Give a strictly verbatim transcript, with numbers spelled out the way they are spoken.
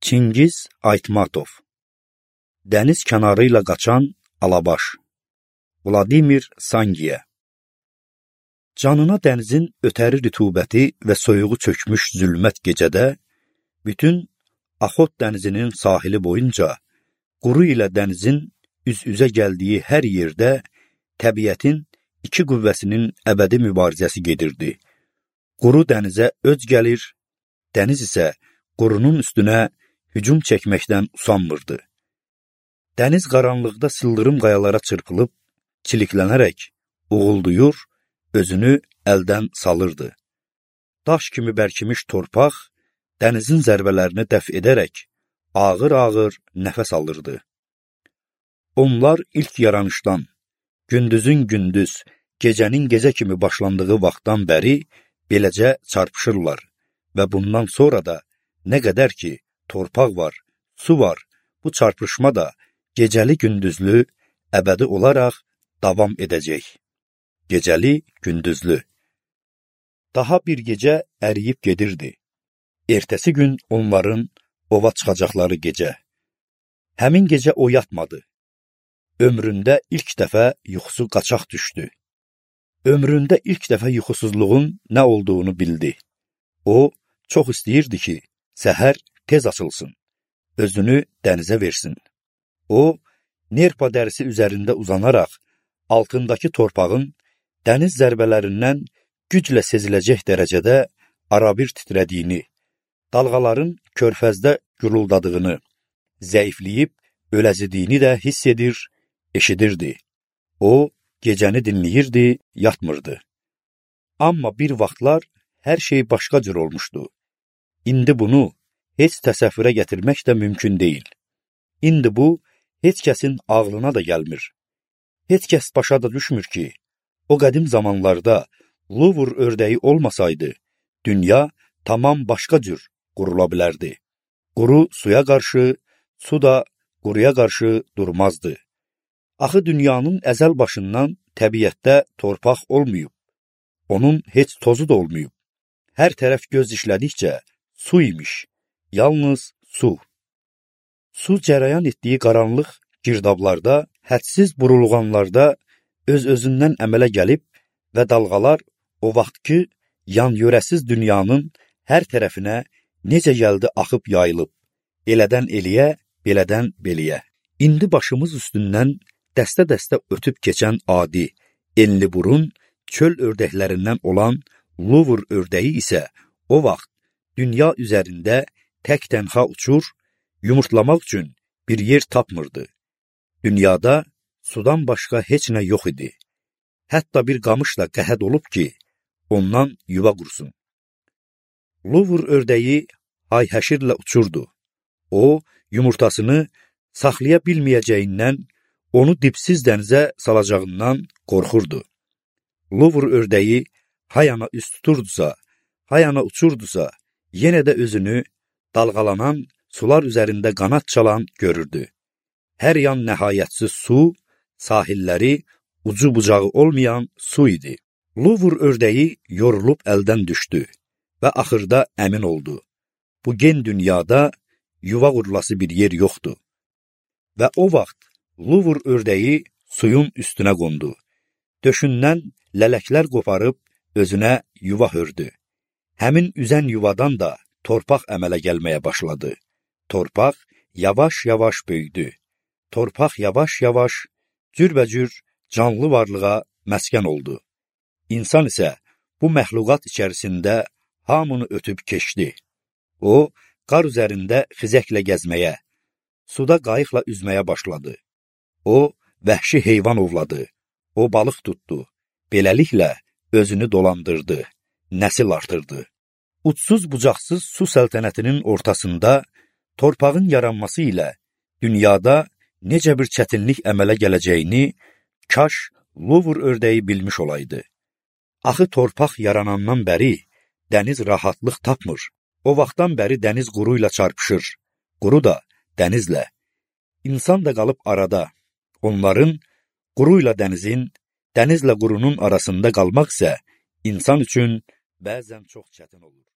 Çingiz Aytmatov. Dəniz kənarı ilə qaçan Alabaş. Vladimir Sangiya. Canına dənizin ötəri rütubəti və soyuğu çökmüş zülmət gecədə, bütün Axot dənizinin sahili boyunca, quru ilə dənizin üz-üzə gəldiyi hər yerdə təbiətin iki qüvvəsinin əbədi mübarizəsi gedirdi. Quru dənizə öc gəlir, dəniz isə qurunun üstünə hücum çəkməkdən usanmırdı. Dəniz qaranlıqda sıldırım qayalara çırpılıb, çiliklənərək, uğulduyur, özünü əldən salırdı. Daş kimi bərkimiş torpaq, dənizin zərbələrini dəf edərək, ağır-ağır nəfəs alırdı. Onlar ilk yaranışdan, gündüzün gündüz, gecənin gecə kimi başlandığı vaxtdan bəri beləcə çarpışırlar və bundan sonra da nə qədər ki, torpaq var, su var, bu çarpışma da gecəli-gündüzlü, əbədi olaraq davam edəcək. Gecəli-gündüzlü. Daha bir gecə əriyib gedirdi. Ertəsi gün onların ova çıxacaqları gecə. Həmin gecə o yatmadı. Ömründə ilk dəfə yuxusu qaçaq düşdü. Ömründə ilk dəfə yuxusuzluğun nə olduğunu bildi. O, çox istəyirdi ki, səhər tez açılsın, özünü dənizə versin. O, nerpa dərisi üzərində uzanaraq, altındakı torpağın dəniz zərbələrindən güclə seziləcək dərəcədə arabir titrədiyini, dalğaların körfəzdə güruldadığını, zəifləyib öləzidiyini də hiss edir, eşidirdi. O, gecəni dinləyirdi, yatmırdı. Amma bir vaxtlar hər şey başqa cür olmuşdu. İndi bunu heç təsəvvürə gətirmək də mümkün deyil. İndi bu, heç kəsin ağlına da gəlmir. Heç kəs başa da düşmür ki, o qədim zamanlarda Luvr ördəyi olmasaydı, dünya tamam başqa cür qurula bilərdi. Quru suya qarşı, su da quruya qarşı durmazdı. Axı dünyanın əzəl başından təbiətdə torpaq olmayıb. Onun heç tozu da olmayıb. Hər tərəf göz işlədikcə su imiş. Yalnız su. Su cərəyan etdiyi qaranlıq girdablarda, hədsiz burulğanlarda öz-özündən əmələ gəlib və dalğalar o vaxtki yan-yörəsiz dünyanın hər tərəfinə necə gəldi axıb yayılıb, elədən eliyə, belədən beliyə. İndi başımız üstündən dəstə-dəstə ötüb keçən adi, enli burun, çöl ördəklərindən olan Luvr ördəyi isə o vaxt dünya üzərində tək-tənha uçur, yumurtlamaq üçün bir yer tapmırdı. Dünyada sudan başqa heç nə yox idi. Hətta bir qamış da qəhət olub ki, ondan yuva qursun. Luvr ördəyi hay-həşirlə uçurdu. O, yumurtasını saxlaya bilməyəcəyindən, onu dipsiz dənizə salacağından qorxurdu. Luvr ördəyi hayana üst tuturdusa, hayana uçurdusa, yenə də özünü dalğalanan, sular üzərində qanad çalan görürdü. Hər yan nəhayətsiz su, sahilləri ucu bucağı olmayan su idi. Luvr ördəyi yorulub əldən düşdü və axırda əmin oldu. Bu gen dünyada yuva qurulası bir yer yoxdur. Və o vaxt Luvr ördəyi suyun üstünə qondu. Döşündən lələklər qoparıb özünə yuva hördü. Həmin üzən yuvadan da torpaq əmələ gəlməyə başladı. Torpaq yavaş-yavaş böyüdü. Torpaq yavaş-yavaş, cürbəcür canlı varlığa məskən oldu. İnsan isə bu məxluqat içərisində hamını ötüb keçdi. O, qar üzərində xizəklə gəzməyə, suda qayıqla üzməyə başladı. O, vəhşi heyvan ovladı. O, balıq tutdu. Beləliklə özünü dolandırdı, nəsil artırdı. Uçsuz-bucaqsız su səltənətinin ortasında torpağın yaranması ilə dünyada necə bir çətinlik əmələ gələcəyini kaş Luvr ördəyi bilmiş olaydı. Axı torpaq yaranandan bəri dəniz rahatlıq tapmır. O vaxtdan bəri dəniz quru ilə çarpışır, quru da dənizlə. İnsan da qalıb arada. Onların quru ilə dənizin, dənizlə qurunun arasında qalmaq isə insan üçün bəzən çox çətin olur.